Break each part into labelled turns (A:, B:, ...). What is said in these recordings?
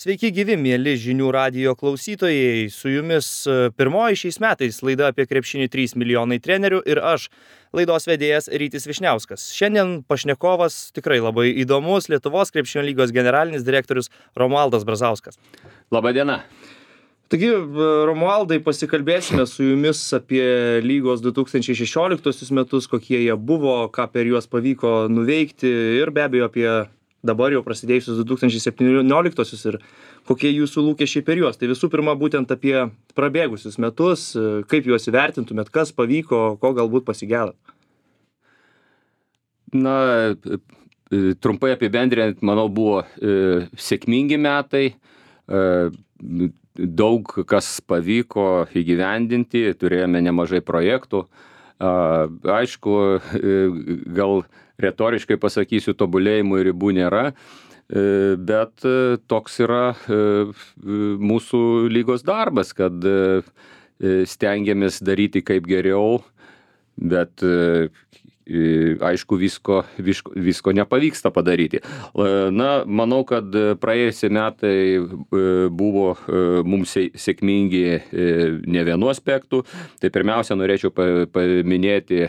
A: Sveiki gyvi, mieli žinių radijo klausytojai. Su jumis pirmoji šiais metais laida apie krepšinį 3 milijonai trenerių ir aš, laidos vedėjas Rytis Vyšniauskas. Šiandien pašnekovas tikrai labai įdomus Lietuvos krepšinio lygos generalinis direktorius Romualdas Brazauskas.
B: Labadiena.
A: Taigi, Romualdai, pasikalbėsime su jumis apie lygos 2016 metus, kokie jie buvo, ką per juos pavyko nuveikti ir be abejo apie dabar jau prasidėjusius 2017 ir kokie jūsų lūkesčiai per juos. Tai visų pirma, būtent apie prabėgusius metus, kaip juos įvertintumėt, kas pavyko, ko galbūt pasigėdat.
B: Na, trumpai apibendrinant, manau, buvo sėkmingi metai, daug kas pavyko įgyvendinti, turėjome nemažai projektų. Aišku, gal retoriškai pasakysiu, tobulėjimų ribų nėra, bet toks yra mūsų lygos darbas, kad stengiamės daryti kaip geriau, bet aišku, visko nepavyksta padaryti. Na, manau, kad praėjusie metai buvo mums sėkmingi ne vienu aspektu. Tai pirmiausia, norėčiau paminėti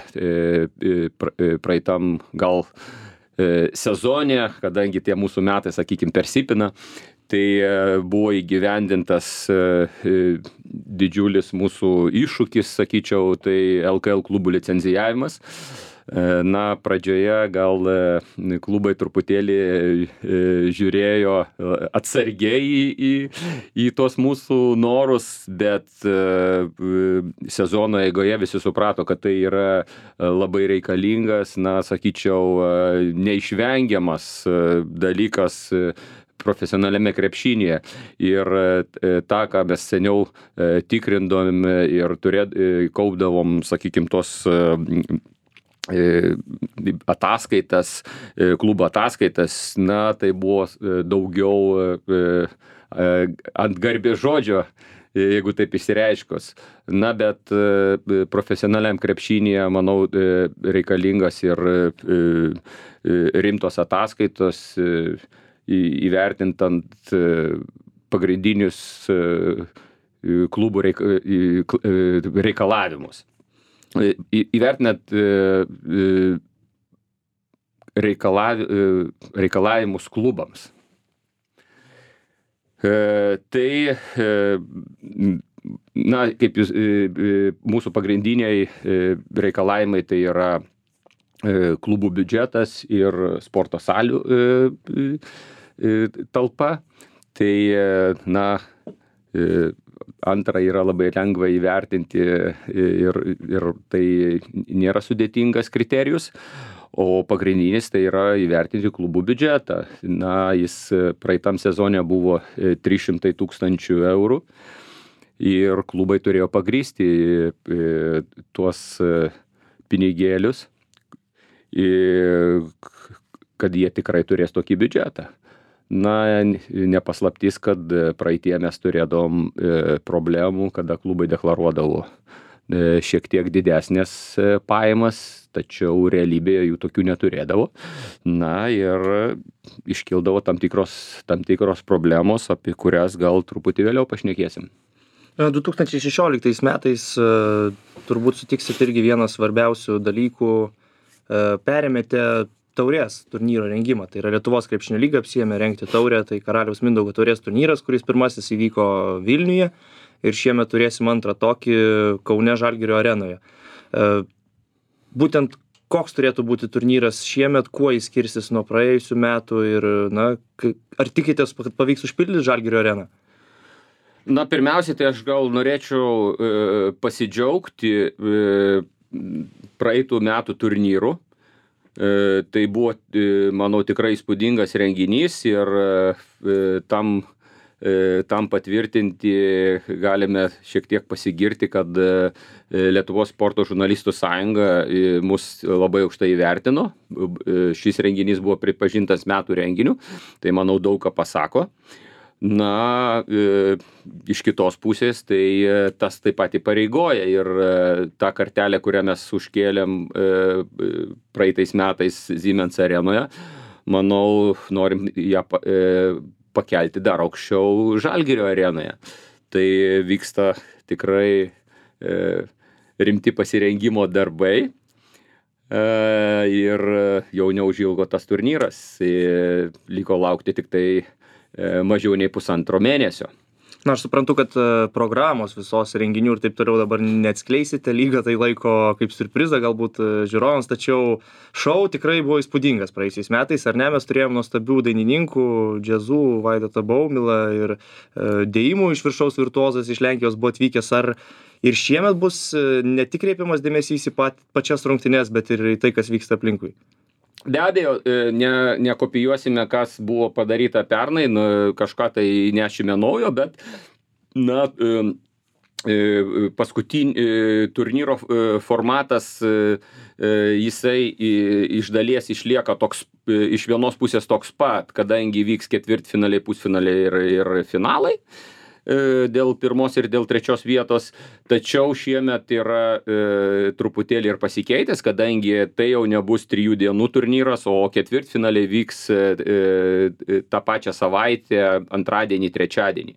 B: praeitam gal sezone, kadangi tie mūsų metai, sakykime, persipina, tai buvo įgyvendintas didžiulis mūsų iššūkis, sakyčiau, tai LKL klubų licencijavimas. Na, pradžioje gal klubai truputėlį žiūrėjo atsargiai į tos mūsų norus, bet sezono eigoje visi suprato, kad tai yra labai reikalingas, na, sakyčiau, neišvengiamas dalykas profesionaliame krepšinėje. Ir tą, ką mes seniau tikrindavom ir kaupdavom, sakykime, tos ataskaitas, klubo ataskaitas, na, tai buvo daugiau ant garbės žodžio, jeigu taip išsireiškus. Na, bet profesionaliam krepšinėje, manau, reikalingas ir rimtos ataskaitos, įvertintant pagrindinius klubų reikalavimus. Įvertinant reikalavimus klubams. Tai, na, kaip mūsų pagrindiniai reikalavimai, tai yra klubų biudžetas ir sporto salių talpa. Tai, na, antra yra labai lengva įvertinti ir tai nėra sudėtingas kriterijus, o pagrindinis tai yra įvertinti klubų biudžetą. Na, jis praeitam sezone buvo 300 000 eurų ir klubai turėjo pagrįsti tuos pinigėlius, kad jie tikrai turės tokį biudžetą. Na, nepaslaptis, kad praeitie mes turėdavom problemų, kada klubai deklaruodavo šiek tiek didesnės pajamas, tačiau realybėje jų tokių neturėdavo. Na, ir iškildavo tam tikros problemos, apie kurias gal truputį vėliau pašnekėsim.
A: 2016 metais turbūt sutiksit irgi vienas svarbiausių dalykų, perėmėte taurės turnyro rengimą. Tai yra Lietuvos krepšinio lyga apsiėmė rengti taurę, tai Karaliaus Mindaugo taurės turnyras, kuris pirmasis įvyko Vilniuje ir šiemet turėsim antrą tokį Kaune Žalgirio arenoje. Būtent koks turėtų būti turnyras šiemet, kuo jis skirsis nuo praėjusių metų ir, na, ar tikitės, kad pavyks užpildyti Žalgirio areną?
B: Na, pirmiausiai, tai aš gal norėčiau pasidžiaugti praeitų metų turnyru. Tai buvo, manau, tikrai įspūdingas renginys ir tam patvirtinti galime šiek tiek pasigirti, kad Lietuvos sporto žurnalistų sąjunga mus labai aukštai įvertino. Šis renginys buvo pripažintas metų renginiu, tai manau daug ką pasako. Na, iš kitos pusės, tai tas taip pat įpareigoja ir tą kartelę, kurią mes užkėlėm praeitais metais Siemens arenoje, manau, norim ją pakelti dar aukščiau Žalgirio arenoje. Tai vyksta tikrai rimti pasirengimo darbai ir jau neužilgo tas turnyras. Liko laukti tik tai mažiau nei 1,5 mėnesio.
A: Na, aš suprantu, kad programos visos renginių ir taip toliau dabar neatskleisite, lyga tai laiko kaip siurprizą galbūt žiūrovams, tačiau šou tikrai buvo įspūdingas praėjusiais metais, ar ne? Mes turėjom nuostabių dainininkų, džiazų, Vaidotą Baumilą ir dėjimų iš viršaus virtuozas iš Lenkijos buvo atvykęs. Ar ir šiemet bus ne tik kreipiamas dėmesys į pačias rungtynes, bet ir į tai, kas vyksta aplinkui?
B: Be abejo, nekopijuosime, kas buvo padaryta pernai, kažką tai nešime naujo, bet turnyro formatas, jisai iš dalies išlieka toks, iš vienos pusės toks pat, kadangi vyks ketvirtfinaliai, pusfinaliai ir finalai dėl pirmos ir dėl trečios vietos, tačiau šiemet yra truputėlį ir pasikeitęs, kadangi tai jau nebus 3 dienų turnyras, o ketvirtfinaliai vyks tą pačią savaitę, antradienį, trečiadienį.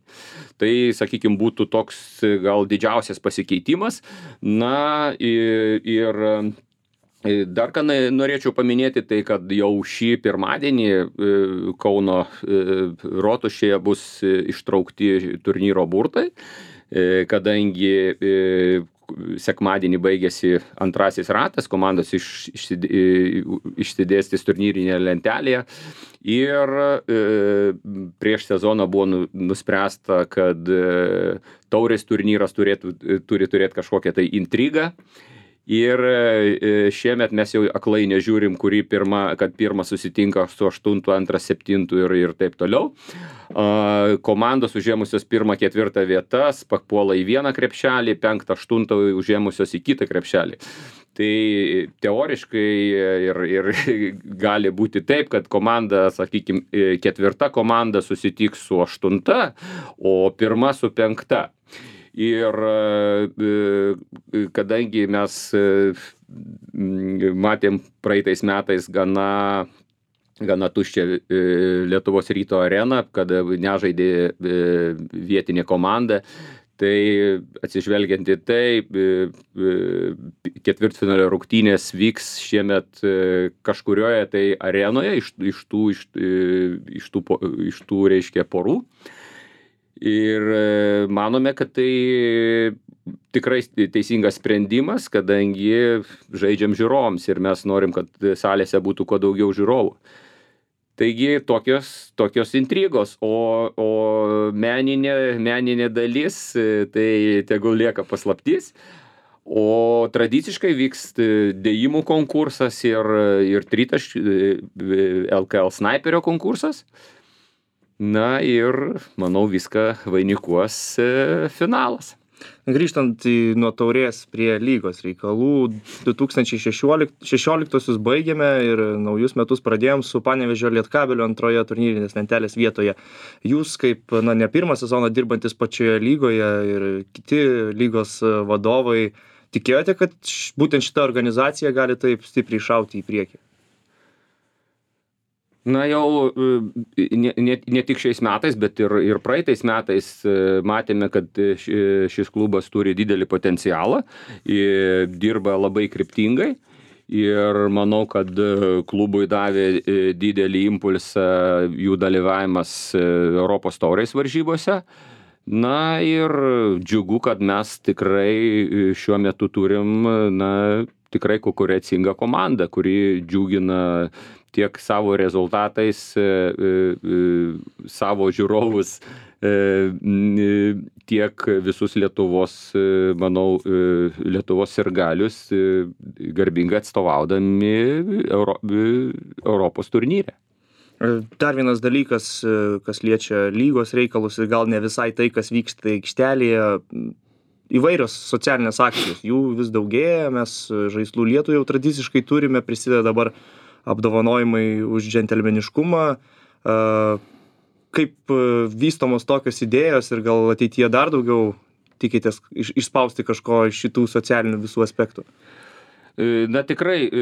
B: Tai, sakykime, būtų toks gal didžiausias pasikeitimas. Na ir dar ką norėčiau paminėti, tai kad jau šį pirmadienį Kauno rotušėje bus ištraukti turnyro burtai, kadangi sekmadienį baigėsi antrasis ratas, komandos išsidėstys turnyrinėje lentelėje ir prieš sezoną buvo nuspręsta, kad taurės turnyras turi turėti kažkokią tai intrigą. Ir šiemet mes jau aklai nežiūrim, kad pirmas susitinka su 8, antras 7 ir taip toliau. Komandos užėmusios 1, 4 vietas papuola į vieną krepšelį, 5, 8 užėmusios į kitą krepšelį. Tai teoriškai ir gali būti taip, kad komanda, sakykime, 4 komanda susitiks su 8, o 1 su 5. Ir kadangi mes matėm praeitais metais gana tuščią Lietuvos Ryto areną, kada nežaidė vietinė komanda, tai atsižvelgiant į tai, ketvirtfinalio rungtynės vyks šiemet kažkurioje tai arenoje iš tų reiškia porų. Ir manome, kad tai tikrai teisingas sprendimas, kadangi žaidžiam žiūrovams ir mes norim, kad salėse būtų kuo daugiau žiūrovų. Taigi tokios intrigos, o meninė dalis, tai tegul lieka paslaptis. O tradiciškai vyks dėjimų konkursas ir tritaškių LKL snaiperio konkursas. Na ir, manau, viską vainikuos finalas.
A: Grįžtant nuo taurės prie lygos reikalų, 2016 baigėme ir naujus metus pradėjom su Panevėžio Lietkabelio antroje turnyrinės lentelės vietoje. Jūs kaip ne pirmą sezoną dirbantis pačioje lygoje ir kiti lygos vadovai, tikėjote, kad būtent šita organizacija gali taip stipriai šauti į priekį?
B: Na jau ne tik šiais metais, bet ir praeitais metais matėme, kad šis klubas turi didelį potencialą, dirba labai kryptingai ir manau, kad klubui davė didelį impulsą jų dalyvavimas Europos taurės varžybose. Na ir džiugu, kad mes tikrai šiuo metu turim tikrai konkurencingą komandą, kuri džiugina tiek savo rezultatais, savo žiūrovus, tiek visus Lietuvos, manau, Lietuvos sirgalius garbingai atstovaudami Europos turnyre.
A: Dar vienas dalykas, kas liečia lygos reikalus ir gal ne visai tai, kas vyksta aikštelėje, įvairios socialinės akcijos, jų vis daugėja, mes žaislų lietų jau tradiciškai turime, prisideda dabar apdovanojimai už džentelmeniškumą. Kaip vystomos tokios idėjos ir gal ateityje dar daugiau tikitės išspausti kažko iš šitų socialinių visų aspektų?
B: Na tikrai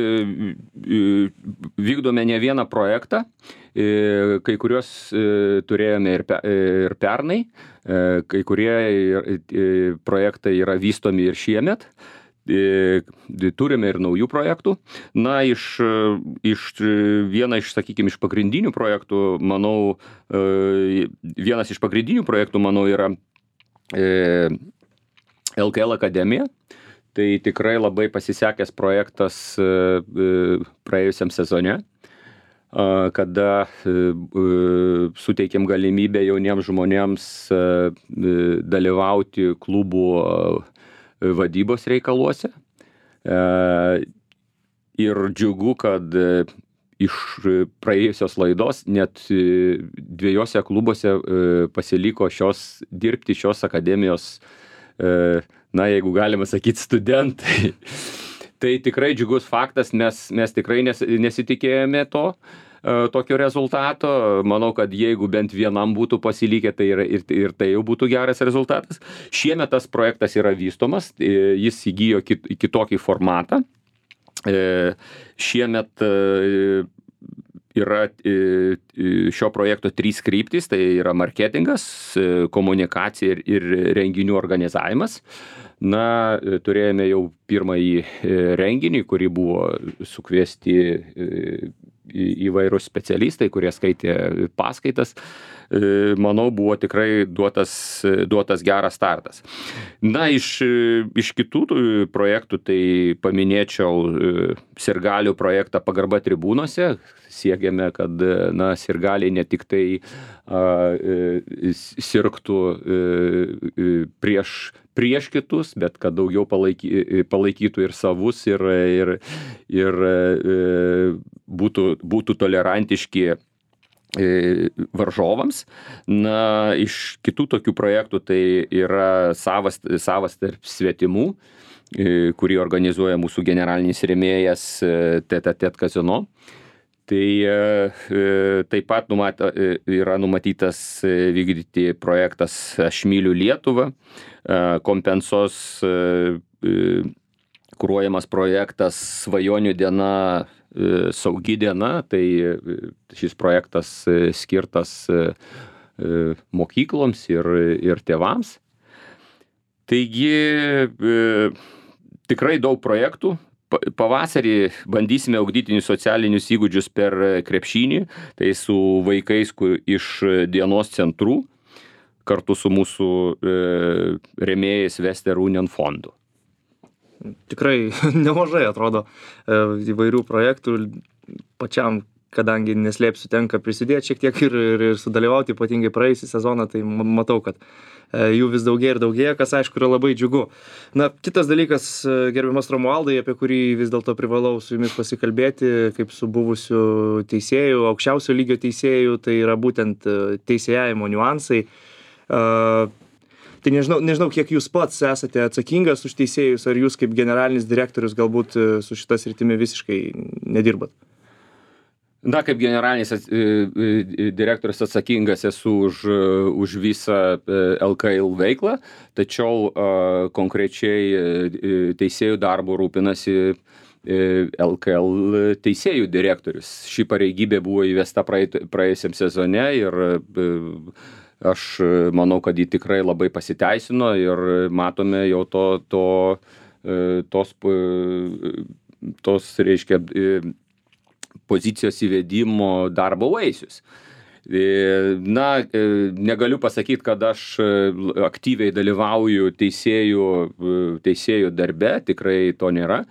B: vykdome ne vieną projektą, kai kuriuos turėjome ir pernai, kai kurie projektai yra vystomi ir šiemet. Turime ir naujų projektų. Na, vieną iš, sakykime, iš pagrindinių projektų, manau, yra LKL akademija. Tai tikrai labai pasisekęs projektas praėjusiam sezone, kada suteikėm galimybę jauniems žmonėms dalyvauti klubų vadybos reikaluose. Ir džiugu, kad iš praėjusios laidos net 2 klubuose pasiliko dirbti šios akademijos, na, jeigu galima sakyti, studentai. Tai tikrai džiugus faktas, mes tikrai nesitikėjome tokio rezultato. Manau, kad jeigu bent vienam būtų pasilikę, tai ir tai jau būtų geras rezultatas. Šiemet tas projektas yra vystomas, jis įgijo kitokį formatą. Šiemet yra šio projekto 3 kryptys, tai yra marketingas, komunikacija ir renginių organizavimas. Na, turėjome jau pirmąjį renginį, kurį buvo sukviesti įvairūs specialistai, kurie skaitė paskaitas. Manau, buvo tikrai duotas geras startas. Na, iš kitų projektų tai paminėčiau sirgalių projektą Pagarba tribūnose. Siekiame, kad sirgaliai ne tik tai sirgtų prieš kitus, bet kad daugiau palaikytų ir savus ir būtų tolerantiški varžovams. Na, iš kitų tokių projektų tai yra savas tarp svetimų, kurį organizuoja mūsų generalinis rėmėjas Tete Kazino. Tai taip pat yra numatytas vykdyti projektas Aš myliu Lietuvą, kompensos kuruojamas projektas Svajonių diena, saugi diena. Tai šis projektas skirtas mokykloms ir tėvams. Taigi tikrai daug projektų. Pavasarį bandysime ugdytinius socialinius įgūdžius per krepšinį, tai su vaikais iš dienos centrų, kartu su mūsų rėmėjais Western Union fondu.
A: Tikrai nemažai atrodo įvairių projektų. Pačiam, kadangi neslėpsiu, tenka prisidėti šiek tiek ir sudalyvauti, ypatingai praėjusį sezoną, tai matau, kad jų vis daugėja, kas aišku yra labai džiugu. Na, kitas dalykas, gerbiamas Romualdai, apie kurį vis dėlto privalau su jumis pasikalbėti, kaip su buvusiu teisėju, aukščiausio lygio teisėju, tai yra būtent teisėjavimo niuansai. Tai nežinau, kiek jūs pats esate atsakingas už teisėjus, ar jūs kaip generalinis direktorius galbūt su šita sritimi visiškai nedirbat?
B: Na, kaip generalinis direktorius atsakingas esu už visą LKL veiklą, tačiau konkrečiai teisėjų darbo rūpinasi LKL teisėjų direktorius. Ši pareigybė buvo įvesta praėjusiam sezone ir aš manau, kad ji tikrai labai pasiteisino ir matome jau tos reiškia pozicijos įvedimo darbo vaisius. Na, negaliu pasakyti, kad aš aktyviai dalyvauju teisėjų darbe, tikrai to nėra.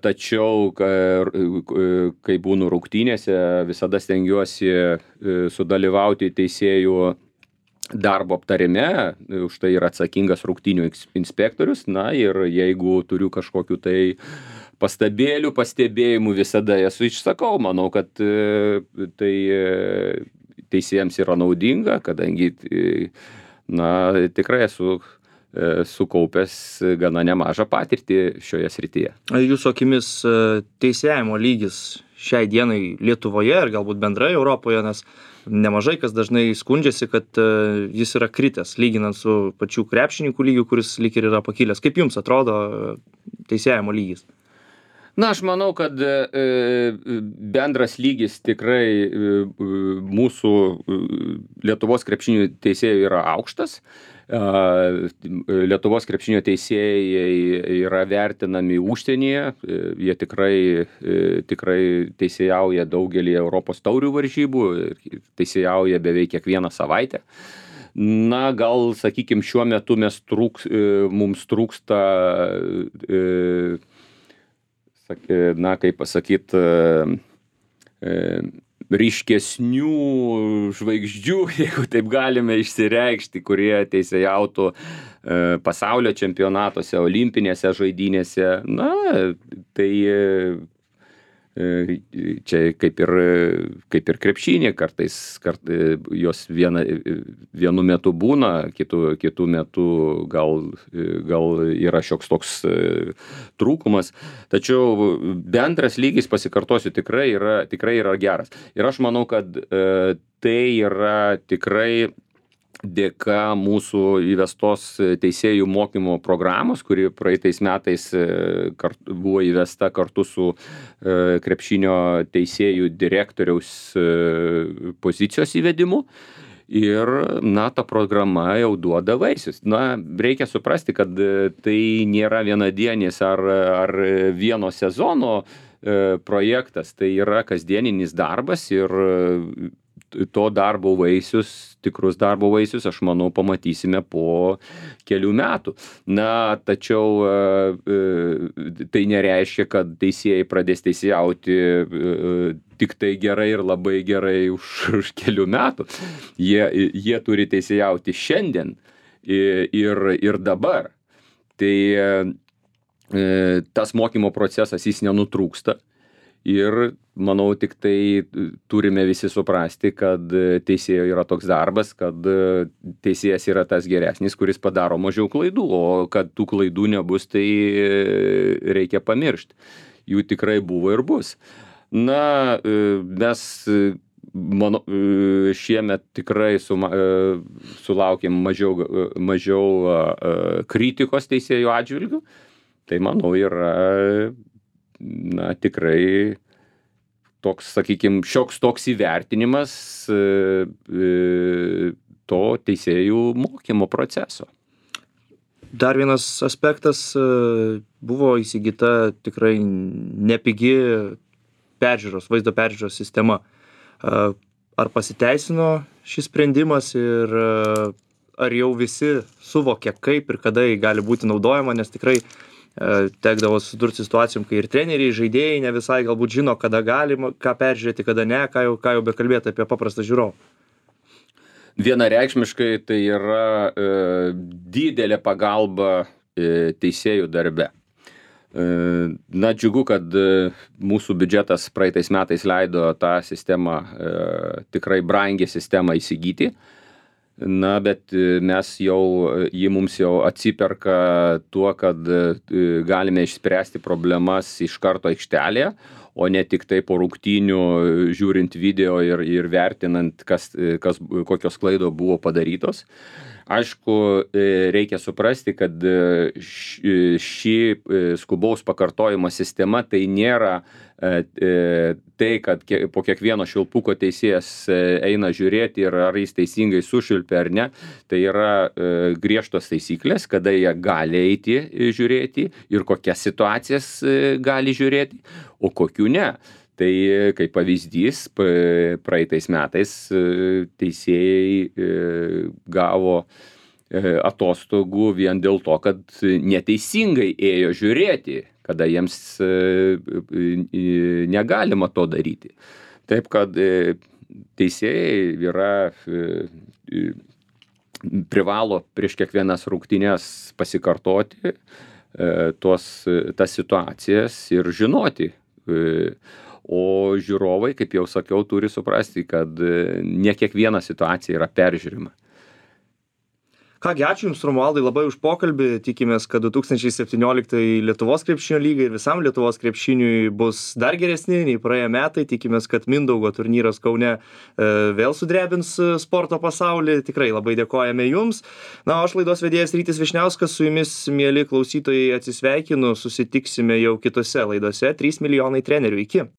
B: Tačiau, kai būnu rungtynėse, visada stengiuosi sudalyvauti teisėjų darbo aptarime, už tai yra atsakingas rungtynių inspektorius. Na ir jeigu turiu kažkokiu tai pastebėjimų, visada esu išsakau. Manau, kad tai teisėjams yra naudinga, kadangi tikrai esu sukaupęs gana nemažą patirtį šioje srityje.
A: Jūsų akimis teisėjimo lygis šiai dienai Lietuvoje ir galbūt bendrai Europoje, nes nemažai kas dažnai skundžiasi, kad jis yra kritęs, lyginant su pačių krepšininkų lygiu, kuris lyg ir yra pakilęs. Kaip jums atrodo teisėjimo lygis?
B: Na, aš manau, kad bendras lygis tikrai mūsų Lietuvos krepšinio teisėjų yra aukštas. Lietuvos krepšinio teisėjai yra vertinami užsienyje, jie tikrai teisėjauja daugelį Europos taurių varžybų ir teisėjauja beveik kiekvieną savaitę. Na, gal, sakykime, šiuo metu mums trūksta, na, kaip pasakyti, ryškesnių žvaigždžių, jeigu taip galime išsireikšti, kurie teisėjautų pasaulio čempionatuose, olimpinėse žaidynėse. Na, tai čia kaip ir krepšinė, kartais jos vienu metu būna, kitų metu gal yra šioks toks trūkumas. Tačiau bendras lygis, pasikartosiu, tikrai yra geras. Ir aš manau, kad tai yra tikrai dėka mūsų įvestos teisėjų mokymo programos, kuri praeitais metais buvo įvesta kartu su krepšinio teisėjų direktoriaus pozicijos įvedimu. Ir, na, ta programa jau duoda vaisius. Na, reikia suprasti, kad tai nėra vienadienis ar vieno sezono projektas, tai yra kasdieninis darbas ir to darbo vaisius, tikrus darbo vaisius, aš manau, pamatysime po kelių metų. Na, tačiau tai nereiškia, kad teisėjai pradės teisėjauti tik tai gerai ir labai gerai už kelių metų. Jie turi teisėjauti šiandien ir dabar. Tai tas mokymo procesas, jis nenutrūksta. Ir manau, tik tai turime visi suprasti, kad teisėjo yra toks darbas, kad teisėjas yra tas geresnis, kuris padaro mažiau klaidų, o kad tų klaidų nebus, tai reikia pamiršti. Jų tikrai buvo ir bus. Na, mes šiemet tikrai sulaukėm mažiau kritikos teisėjų atžvilgių. Tai manau yra, na, tikrai toks, sakykime, šioks toks įvertinimas to teisėjų mokymo proceso.
A: Dar vienas aspektas, buvo įsigyta tikrai nepigi vaizdo peržiūros sistema. Ar pasiteisino šis sprendimas ir ar jau visi suvokia, kaip ir kada jį gali būti naudojama, nes tikrai tekdavo susidurti situacijom, kai ir treneriai, žaidėjai ne visai galbūt žino, kada galima, ką peržiūrėti, kada ne, ką jau bekalbėti apie paprastą žiūrovą.
B: Vienareikšmiškai tai yra didelė pagalba teisėjų darbe. Na, džiugu, kad mūsų biudžetas praeitais metais leido tą sistemą, tikrai brangią sistemą įsigyti. Na, bet ji mums jau atsiperka tuo, kad galime išspręsti problemas iš karto aikštelėje, o ne tik tai po rungtynių žiūrint video ir vertinant, kokios klaidos buvo padarytos. Aišku, reikia suprasti, kad ši skubaus pakartojimo sistema tai nėra tai, kad po kiekvieno švilpuko teisėjas eina žiūrėti ir ar jis teisingai sušvilpė ar ne. Tai yra griežtos taisyklės, kada jie gali eiti žiūrėti ir kokias situacijas gali žiūrėti, o kokių ne. Tai kaip pavyzdys, praeitais metais teisėjai gavo atostogų vien dėl to, kad neteisingai ėjo žiūrėti, kada jiems negalima to daryti. Taip, kad teisėjai privalo prieš kiekvienas rungtynes pasikartoti tas situacijas ir žinoti. O žiūrovai, kaip jau sakiau, turi suprasti, kad ne kiekviena situacija yra peržiūrima.
A: Kągi, ačiū Jums, Romualdai, labai už pokalbį. Tikimės, kad 2017 Lietuvos krepšinio lygai ir visam Lietuvos krepšiniui bus dar geresni nei praėję metai. Tikimės, kad Mindaugo turnyras Kaune vėl sudrebins sporto pasaulį. Tikrai labai dėkojame Jums. Na, o aš laidos vedėjas Rytis Vyšniauskas, su Jumis, mieli klausytojai, atsisveikinu. Susitiksime jau kitose laidose. 3 milijonai trenerių. Iki.